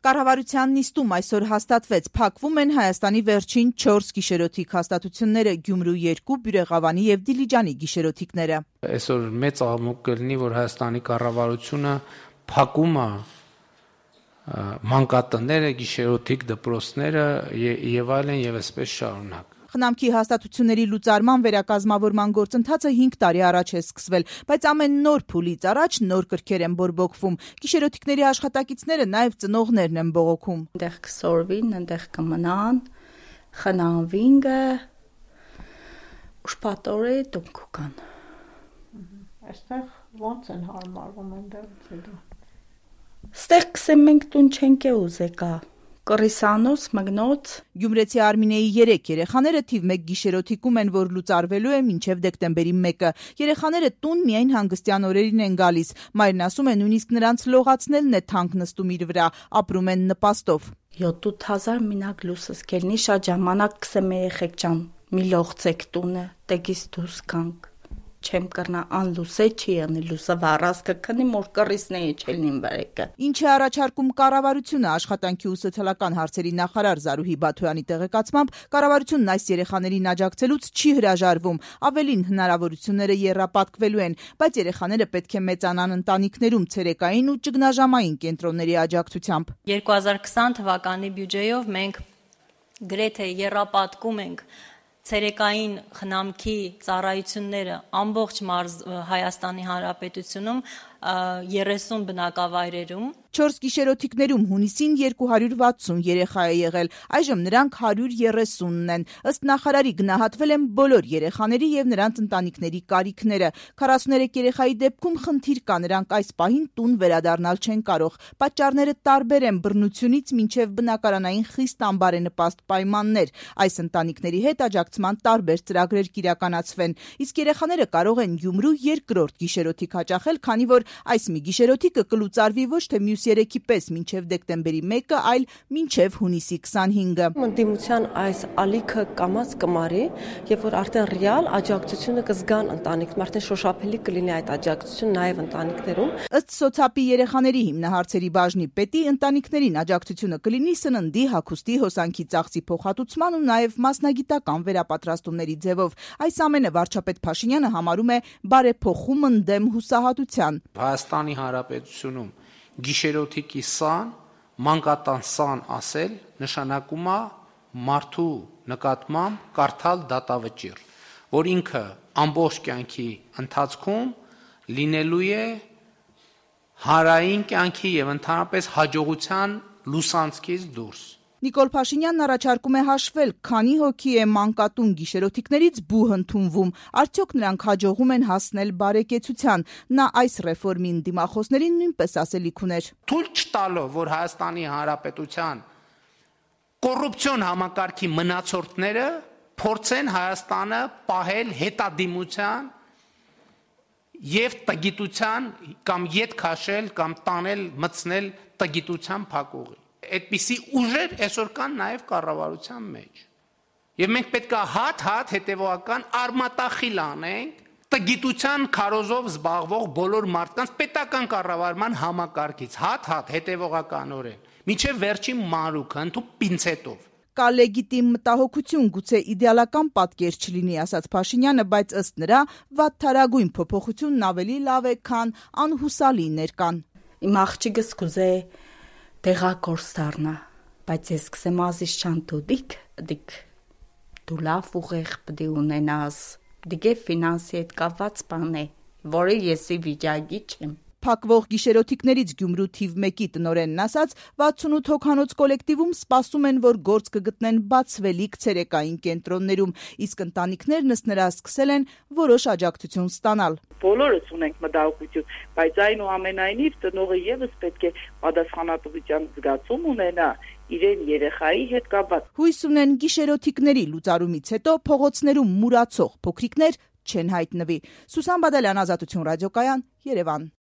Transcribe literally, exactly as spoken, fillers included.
Կառավարության նիստում այսօր հաստատվեց, փակվում են Հայաստանի վերջին չորս գիշերօթիկ հաստատությունները՝ Գյումրու երկու, Բյուրեղավանի եւ Դիլիջանի գիշերօթիկները։ Այսօր մեծ աղմուկ կլինի, որ Հայաստանի կառավարությունը փակում է մանկատները, գիշերօթիկ դպրոցները եւ այլն եւ այսպես շարունակ։ Խնամքի հաստատությունների լուծարման վերակազմավորման գործընթացը հինգ տարի առաջ է սկսվել, բայց ամեն նոր փուլից առաջ նոր կրքեր են բորբոքվում։ Գիշերօթիկների աշխատակիցները նաև ծնողներն են բողոքում։ Այնտեղ կսորվին, այնտեղ կմնան, խնամվին, ուշպատորի տուն կան։ Այստեղ ո՞նց են հարմարվում այնտեղից հետո։ Ստեղ կսեմ մենք տուն չենք է ուզեկա։ Կռիսանոց, մգնոց։ Գյումրեցի Արմինեի երեք երեխաները թիվ մեկ գիշերօթիկում են, որ լուծարվելու է մինչև դեկտեմբերի մեկը։ Երեխաները տուն միայն հանգստյան օրերին են գալիս։ Մայրն ասում է, նույնիսկ նրանց լողացնելն է թանկ նստում իր վրա, ապրում են նպաստով։ յոթ հազար մինակ լուսս կելնի շատ ժամանակ կսեմ երեխեք ջան, մի լողցեք տունը, տեգիս դուս կանք։ Չեմ կրնա անլուսե չի անի լուսը վառասկը քնի մոր կռիսնեի չելնին վարեկը։ Ինչ է առաջարկում կառավարությունը աշխատանքի ու սոցիալական հարցերի նախարար Զարուհի Բաթոյանի տեղեկացմամբ կառավարությունն այս երեխաներին աջակցելուց չի հրաժարվում, ավելին հնարավորությունները եռապատկվելու են, բայց երեխաները պետք է մեծանան ընտանիքներում ցերեկային ու ճգնաժամային կենտրոնների աջակցությամբ։ երկու հազար քսան թվականի բյուջեով մենք գրեթե եռապատկում ենք ցերեկային խնամքի ծառայությունները ամբողջ Հայաստանի Հանրապետությունում երեսուն բնակավայրերում։ Չորս գիշերօթիկներում հունիսին երկու հարյուր վաթսուն երեխա է եղել, այժմ նրանք հարյուր երեսունն են։ Ըստ նախարարի գնահատվել են բոլոր երեխաների եւ նրանց ընտանիքների կարիքները։ քառասուներեք երեխայի դեպքում խնդիր կա, նրանք այս պահին տուն վերադառնալ չեն կարող։ Պատճառները տարբեր են՝ բռնությունից մինչև բնակարանային խիստ անբարենպաստ պայմաններ։ Այս ընտանիքների հետ աջակցման տարբեր ծրագրեր կիրականացվեն։ Իսկ երեխաները կարող են Գյումրու երկրորդ գիշերօթիկ հաճախել, քանի որ այս մի գիշերօթիկը կլուծարվի ոչ թե մյուս երեքի պես մինչև դեկտեմբերի մեկը, այլ մինչև հունիսի քսանհինգը։ Ընդդիմության այս ալիքը կամած կմարի, եւ որ արդեն ռեալ աջակցությունը կզգան ընտանիքներում, արդեն շոշափելի կլինի այդ աջակցությունը նաեւ ընտանիքներում։ Ըստ սոցիալի երեխաների հիմնահարցերի բաժնի պետի, ընտանիքներին աջակցությունը կլինի սննդի, հագուստի, հոսանքի ծախսի փոխհատուցման ու նաեւ մասնագիտական վերապատրաստումների ձևով։ Այս ամենը վարչապետ Փաշինյանը համարում է բարեփոխում ընդդեմ հուսահատության։ Հայաստանի Հանրապետությունում գիշերօթիկի սան, մանկատան սան ասել նշանակում է մարդու նկատմամբ կարդալ դատավճիռ, որ ինքը ամբողջ կյանքի ընթացքում լինելու է հանրային կյանքի եւ ընդհանրապես հաջողության լուսանցքից դուրս։ Նիկոլ Փաշինյանն առաջարկում է հաշվել, քանի հոգի է մանկատուն գիշերօթիկներից բուհ ընդունվում, արդյոք նրանք հաջողում են հասնել բարեկեցության։ Նա այս ռեֆորմին դիմախոսներին նույնպես ասելիք ուներ։ Թույլ չտալով, որ Հայաստանի Հանրապետության կոռուպցիոն համակարգի մնացորդները փորձեն Հայաստանը պահել հետադիմության եւ տգիտության կամ ետ քաշել կամ տանել մտցնել տգիտության փակուղի։ Այդպիսի ուժեր այսօր կան նաև կառավարության մեջ։ Եվ մենք պետք է հատ-հատ հետևողական արմատախիլ անենք տգիտության քարոզով զբաղվող բոլոր մարդկանց պետական կառավարման համակարգից, հատ-հատ հետևողականորեն, մինչև վերջին մանրուքը ընդու պինցետով։ Կա լեգիտիմ մտահոգություն, գուցե իդեալական պատկեր չլինի, ասաց Փաշինյանը, բայց ըստ նրա վատթարագույն փոփոխությունն ավելի լավ է, քան անհուսալիներ կան։ Իմ աղջիկս կուզե տեղակորս դառնա, բայց ես կսեմ ազիս չան դուդիկ, դիկ դու լավ ուղեղ պդի ունենաս, դիգե ֆինանսի հետ կապված բան է, որը եսի վիճակի չեմ։ Փակվող գիշերօթիկներից Գյումրու թիվ մեկի տնօրենն ասաց, վաթսունութ հոգանոց կոլեկտիվում սպասում են, որ գործ կգտնեն բացվելիք ցերեկային կենտրոններում, իսկ ընտանիքներն ըստ նրա սկսել են որոշ աջակցություն ստանալ։ Բոլորս ունենք մտահոգություն, բայց այնուամենայնիվ տնօրենը եւս պետք է պատասխանատվության զգացում ունենա իրեն երեխայի հետ կապված։ Հույս ունեն գիշերօթիկների լուծարումից հետո փողոցներում մուրացող փոքրիկներ չեն հայտնվի։ Սուսան Բադալյան, Ազատություն ռադիոկայան, Երևան։